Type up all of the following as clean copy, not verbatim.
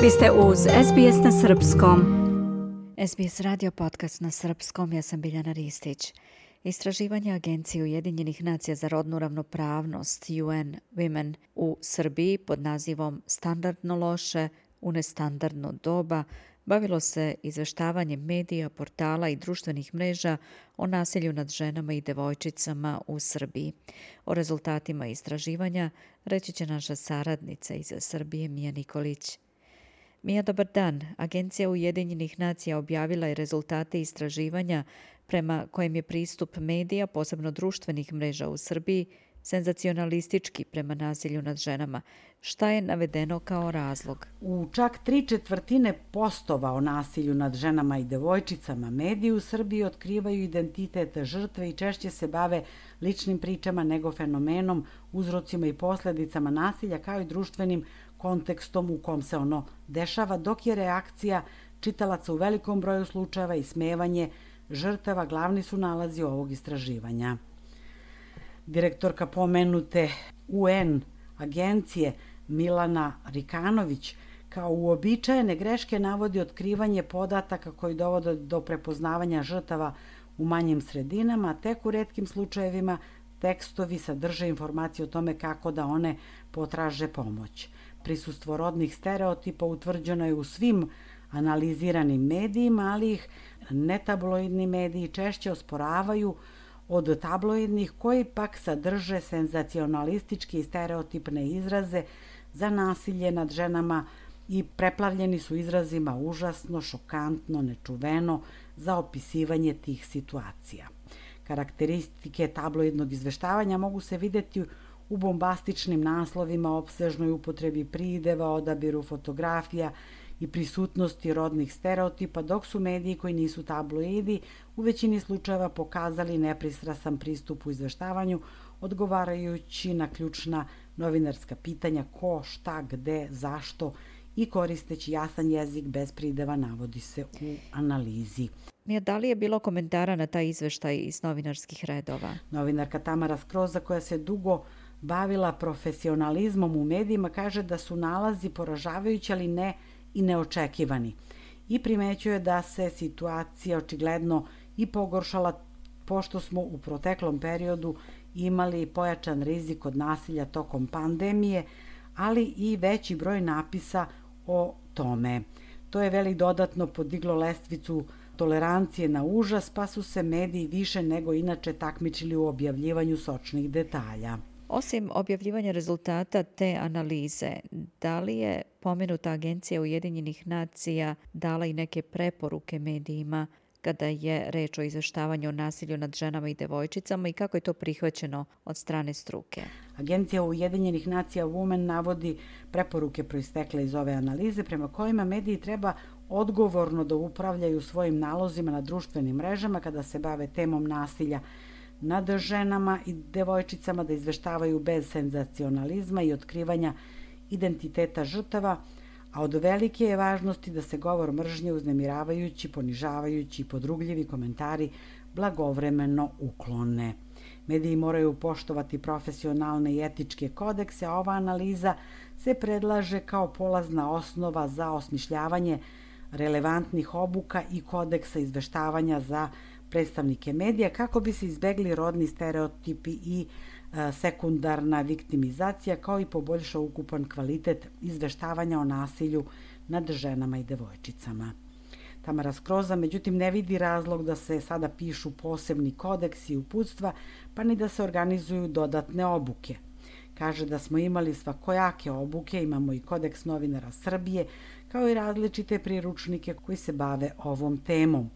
Vi ste uz SBS na Srpskom. SBS radio podcast na Srpskom, ja sam Biljana Ristić. Istraživanje Agencije Ujedinjenih nacija za rodnu ravnopravnost UN Women u Srbiji pod nazivom Standardno loše u nestandardno doba bavilo se izveštavanjem medija, portala i društvenih mreža o nasilju nad ženama i devojčicama u Srbiji. O rezultatima istraživanja reći će naša saradnica iz Srbije Mija Nikolić. Mija, dobar dan. Agencija Ujedinjenih nacija objavila je rezultate istraživanja prema kojem je pristup medija, posebno društvenih mreža u Srbiji, senzacionalistički prema nasilju nad ženama. Šta je navedeno kao razlog? U čak 3/4 postova o nasilju nad ženama i devojčicama mediji u Srbiji otkrivaju identitet žrtve i češće se bave ličnim pričama nego fenomenom, uzrocima i posledicama nasilja kao i društvenim kontekstom u kom se ono dešava, dok je reakcija čitalaca u velikom broju slučajeva ismevanje žrtava glavni su nalazi ovog istraživanja. Direktorka pomenute UN agencije Milana Rikanović kao uobičajene greške navodi otkrivanje podataka koji dovode do prepoznavanja žrtava u manjim sredinama, a tek u retkim slučajevima tekstovi sadrže informacije o tome kako da one potraže pomoć. Prisustvo rodnih stereotipa utvrđeno je u svim analiziranim medijima, ali ih netabloidni mediji češće osporavaju od tabloidnih koji pak sadrže senzacionalističke i stereotipne izraze za nasilje nad ženama i preplavljeni su izrazima užasno, šokantno, nečuveno za opisivanje tih situacija. Karakteristike tabloidnog izveštavanja mogu se videti u bombastičnim naslovima, opsežnoj upotrebi prideva, odabiru fotografija i prisutnosti rodnih stereotipa, dok su mediji koji nisu tabloidi u većini slučajeva pokazali nepristrasan pristup u izveštavanju, odgovarajući na ključna novinarska pitanja ko, šta, gde, zašto i koristeći jasan jezik bez prideva, navodi se u analizi. Da li je bilo komentara na taj izveštaj iz novinarskih redova? Novinarka Tamara Skroza, koja se dugo bavila profesionalizmom u medijima, kaže da su nalazi poražavajući, ali ne i neočekivani. I primećuje da se situacija očigledno i pogoršala pošto smo u proteklom periodu imali pojačan rizik od nasilja tokom pandemije, ali i veći broj napisa o tome. To je veli dodatno podiglo lestvicu tolerancije na užas, pa su se mediji više nego inače takmičili u objavljivanju sočnih detalja. Osim objavljivanja rezultata te analize, da li je pomenuta Agencija Ujedinjenih nacija dala i neke preporuke medijima kada je reč o izveštavanju o nasilju nad ženama i devojčicama i kako je to prihvaćeno od strane struke? Agencija Ujedinjenih nacija Women navodi preporuke proistekle iz ove analize prema kojima mediji treba odgovorno da upravljaju svojim nalozima na društvenim mrežama kada se bave temom nasilja nad ženama i devojčicama, da izveštavaju bez senzacionalizma i otkrivanja identiteta žrtava, a od velike je važnosti da se govor mržnje, uznemiravajući, ponižavajući i podrugljivi komentari blagovremeno uklone. Mediji moraju poštovati profesionalne i etičke kodekse, a ova analiza se predlaže kao polazna osnova za osmišljavanje relevantnih obuka i kodeksa izveštavanja za predstavnike medija kako bi se izbegli rodni stereotipi i sekundarna viktimizacija, kao i poboljšao ukupan kvalitet izveštavanja o nasilju nad ženama i devojčicama. Tamara Skroza, međutim, ne vidi razlog da se sada pišu posebni kodeksi i uputstva, pa ni da se organizuju dodatne obuke. Kaže da smo imali svakojake obuke, imamo i kodeks novinara Srbije, kao i različite priručnike koji se bave ovom temom.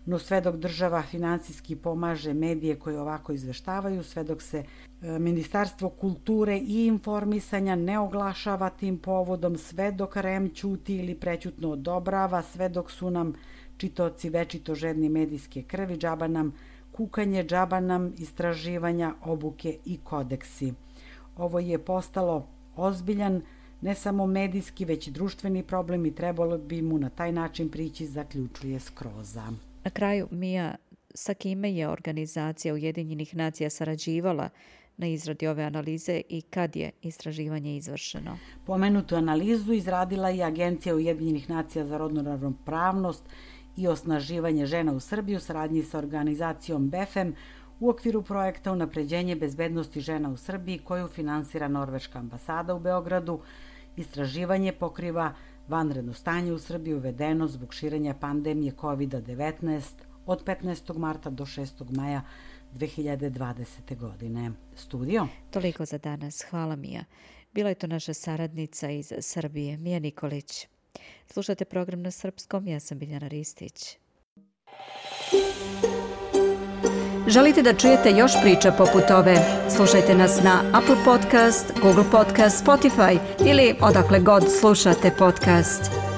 No sve dok država finansijski pomaže medije koje ovako izveštavaju, sve dok se Ministarstvo kulture i informisanja ne oglašava tim povodom, sve dok REM ćuti ili prećutno odobrava, sve dok su nam čitaoci večito žedni medijske krvi, džaba nam kukanje, džaba nam istraživanja, obuke i kodeksi. Ovo je postalo ozbiljan, ne samo medijski, već i društveni problem i trebalo bi mu na taj način prići, zaključuje Skroza. Na kraju, Mija, sa kime je organizacija Ujedinjenih nacija sarađivala na izradi ove analize i kad je istraživanje izvršeno? Pomenutu analizu izradila je Agencija Ujedinjenih nacija za rodnu ravnopravnost i osnaživanje žena u Srbiji u saradnji sa organizacijom BEFEM u okviru projekta Unapređenje bezbednosti žena u Srbiji koju finansira Norveška ambasada u Beogradu. Istraživanje pokriva vanredno stanje u Srbiji uvedeno zbog širenja pandemije COVID-19 od 15. marta do 6. maja 2020. godine. Studio? Toliko za danas. Hvala Mija. Bila je to naša saradnica iz Srbije, Mija Nikolić. Slušate program na srpskom, ja sam Biljana Ristić. Želite da čujete još priča poput ove? Slušajte nas na Apple Podcast, Google Podcast, Spotify ili odakle god slušate podcast.